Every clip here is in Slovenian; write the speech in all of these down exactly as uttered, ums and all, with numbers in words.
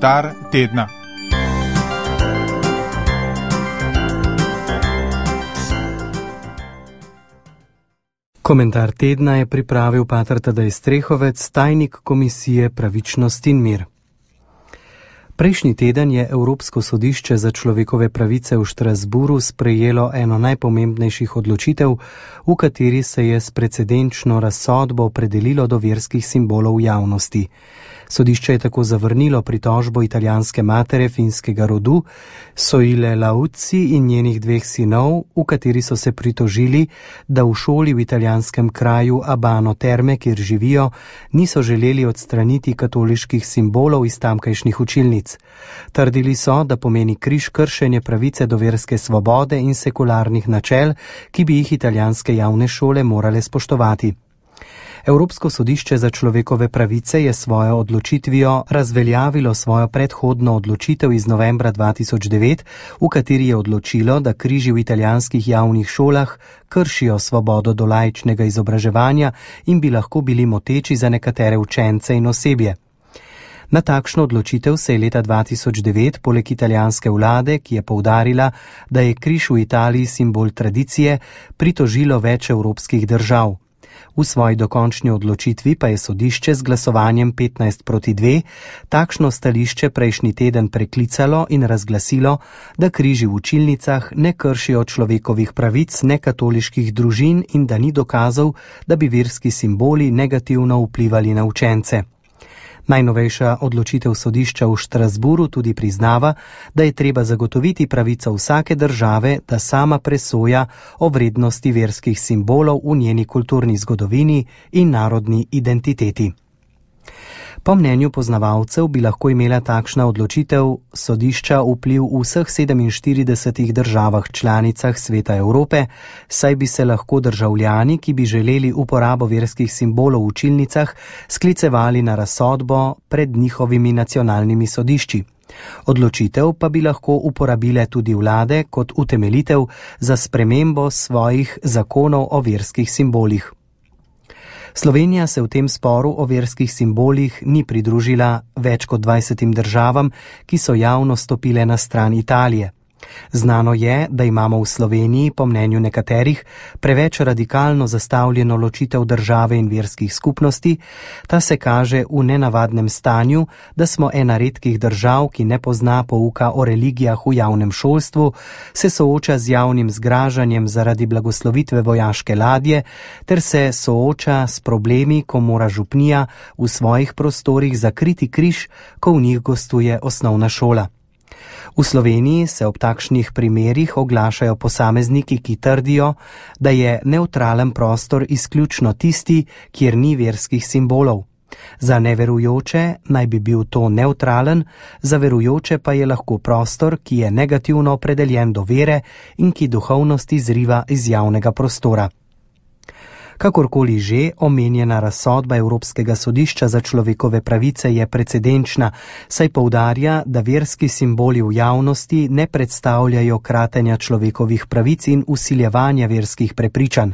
Komentar tedna. Komentar tedna je pripravil pater Tadej Strehovec, tajnik Komisije Pravičnost in mir. Prejšnji teden je Evropsko sodišče za človekove pravice v Štrasburu sprejelo eno najpomembnejših odločitev, v kateri se je s precedenčno razsodbo opredelilo do verskih simbolov v javnosti. Sodišče je tako zavrnilo pritožbo italijanske matere finskega rodu, Soile Lauci in njenih dveh sinov, v kateri so se pritožili, da v šoli v italijanskem kraju Abano Terme, kjer živijo, niso želeli odstraniti katoliških simbolov iz tamkajšnjih učilnic. Trdili so, da pomeni križ kršenje pravice do verske svobode in sekularnih načel, ki bi jih italijanske javne šole morale spoštovati. Evropsko sodišče za človekove pravice je svojo odločitvijo razveljavilo svojo predhodno odločitev iz novembra dva tisoč devet, v kateri je odločilo, da križi v italijanskih javnih šolah kršijo svobodo do laičnega izobraževanja in bi lahko bili moteči za nekatere učence in osebje. Na takšno odločitev se je leta dva tisoč devet poleg italijanske vlade, ki je poudarila, da je križ v Italiji simbol tradicije, pritožilo več evropskih držav. V svoji dokončni odločitvi pa je sodišče z glasovanjem petnajst proti dve takšno stališče prejšnji teden preklicalo in razglasilo, da križi v učilnicah ne kršijo človekovih pravic nekatoliških družin in da ni dokazov, da bi verski simboli negativno vplivali na učence. Najnovejša odločitev sodišča v Štrasburu tudi priznava, da je treba zagotoviti pravico vsake države, da sama presoja o vrednosti verskih simbolov v njeni kulturni zgodovini in narodni identiteti. Po mnenju poznavalcev bi lahko imela takšna odločitev sodišča vpliv v vseh sedeminštiridesetih državah članicah Sveta Evrope, saj bi se lahko državljani, ki bi želeli uporabo verskih simbolov v učilnicah, sklicevali na razsodbo pred njihovimi nacionalnimi sodišči. Odločitev pa bi lahko uporabile tudi vlade kot utemeljitev za spremembo svojih zakonov o verskih simbolih. Slovenija se v tem sporu o verskih simbolih ni pridružila več kot dvajsetim državam, ki so javno stopile na stran Italije. Znano je, da imamo v Sloveniji, po mnenju nekaterih, preveč radikalno zastavljeno ločitev države in verskih skupnosti. Ta se kaže v nenavadnem stanju, da smo ena redkih držav, ki ne pozna pouka o religijah v javnem šolstvu, se sooča z javnim zgražanjem zaradi blagoslovitve vojaške ladje, ter se sooča s problemi, ko mora župnija v svojih prostorih zakriti križ, ko v njih gostuje osnovna šola. V Sloveniji se ob takšnih primerih oglašajo posamezniki, ki trdijo, da je nevtralen prostor izključno tisti, kjer ni verskih simbolov. Za neverujoče naj bi bil to nevtralen, za verujoče pa je lahko prostor, ki je negativno opredeljen do vere in ki duhovnost izriva iz javnega prostora. Kakorkoli že, omenjena razsodba Evropskega sodišča za človekove pravice je precedenčna, saj poudarja, da verski simboli v javnosti ne predstavljajo kratenja človekovih pravic in vsiljevanja verskih prepričanj.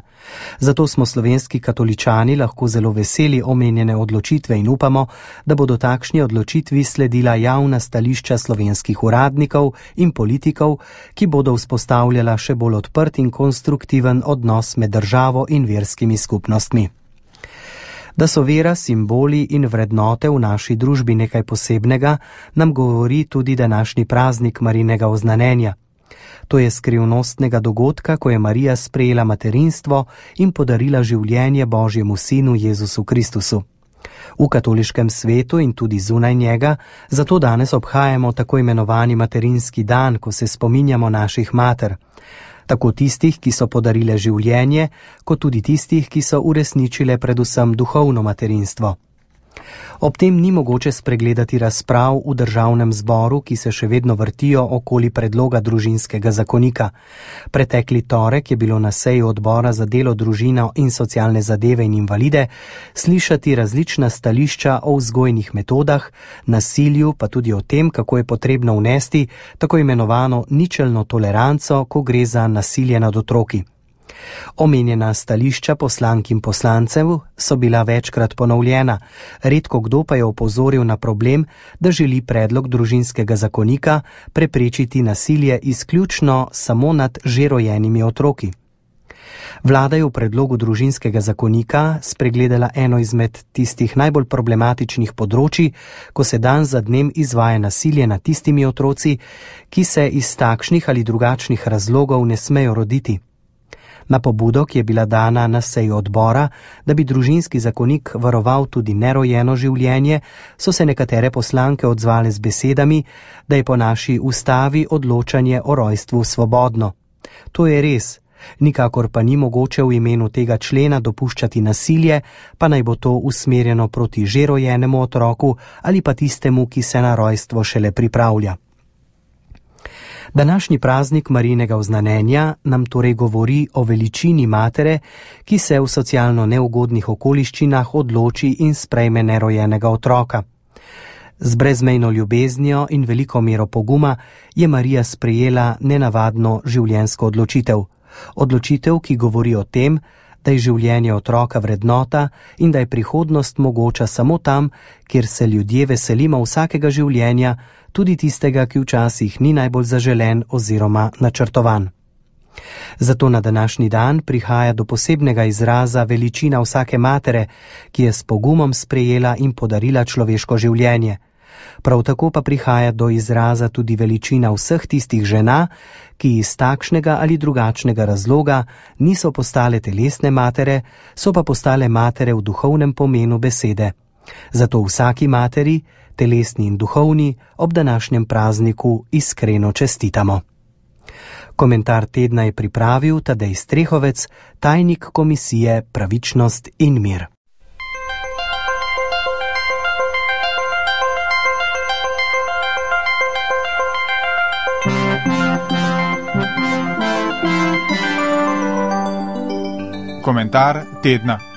Zato smo slovenski katoličani lahko zelo veseli omenjene odločitve in upamo, da bodo takšni odločitvi sledila javna stališča slovenskih uradnikov in politikov, ki bodo vzpostavljala še bolj odprt in konstruktiven odnos med državo in verskimi skupnostmi. Da so vera, simboli in vrednote v naši družbi nekaj posebnega, nam govori tudi današnji praznik Marijinega oznanjenja. To je skrivnostnega dogodka, ko je Marija sprejela materinstvo in podarila življenje Božjemu sinu Jezusu Kristusu. V katoliškem svetu in tudi zunaj njega, zato danes obhajamo tako imenovani materinski dan, ko se spominjamo naših mater. Tako tistih, ki so podarile življenje, kot tudi tistih, ki so uresničile predvsem duhovno materinstvo. Ob tem ni mogoče spregledati razprav v državnem zboru, ki se še vedno vrtijo okoli predloga družinskega zakonika. Pretekli torek je bilo na seji odbora za delo, družino in socialne zadeve in invalide slišati različna stališča o vzgojnih metodah, nasilju, pa tudi o tem, kako je potrebno vnesti tako imenovano ničelno toleranco, ko gre za nasilje nad otroki. Omenjena stališča poslank in poslancev so bila večkrat ponovljena, redko kdo pa je opozoril na problem, da želi predlog družinskega zakonika preprečiti nasilje izključno samo nad že rojenimi otroki. Vlada je v predlogu družinskega zakonika spregledala eno izmed tistih najbolj problematičnih področij, ko se dan za dnem izvaja nasilje nad tistimi otroci, ki se iz takšnih ali drugačnih razlogov ne smejo roditi. Na pobudo, ki je bila dana na seji odbora, da bi družinski zakonik varoval tudi nerojeno življenje, so se nekatere poslanke odzvale z besedami, da je po naši ustavi odločanje o rojstvu svobodno. To je res, nikakor pa ni mogoče v imenu tega člena dopuščati nasilje, pa naj bo to usmerjeno proti že rojenemu otroku ali pa tistemu, ki se na rojstvo šele pripravlja. Današnji praznik Marijinega oznanjenja nam torej govori o veličini matere, ki se v socialno neugodnih okoliščinah odloči in sprejme nerojenega otroka. Z brezmejno ljubeznijo in veliko mero poguma je Marija sprejela nenavadno življenjsko odločitev. Odločitev, ki govori o tem, da je življenje otroka vrednota in da je prihodnost mogoča samo tam, kjer se ljudje veselimo vsakega življenja, tudi tistega, ki včasih ni najbolj zaželen oziroma načrtovan. Zato na današnji dan prihaja do posebnega izraza veličina vsake matere, ki je s pogumom sprejela in podarila človeško življenje. Prav tako pa prihaja do izraza tudi veličina vseh tistih žena, ki iz takšnega ali drugačnega razloga niso postale telesne matere, so pa postale matere v duhovnem pomenu besede. Zato vsaki materi, telesni in duhovni, ob današnjem prazniku iskreno čestitamo. Komentar tedna je pripravil Tadej Strehovec, tajnik Komisije Pravičnost in mir. Komentar tedna.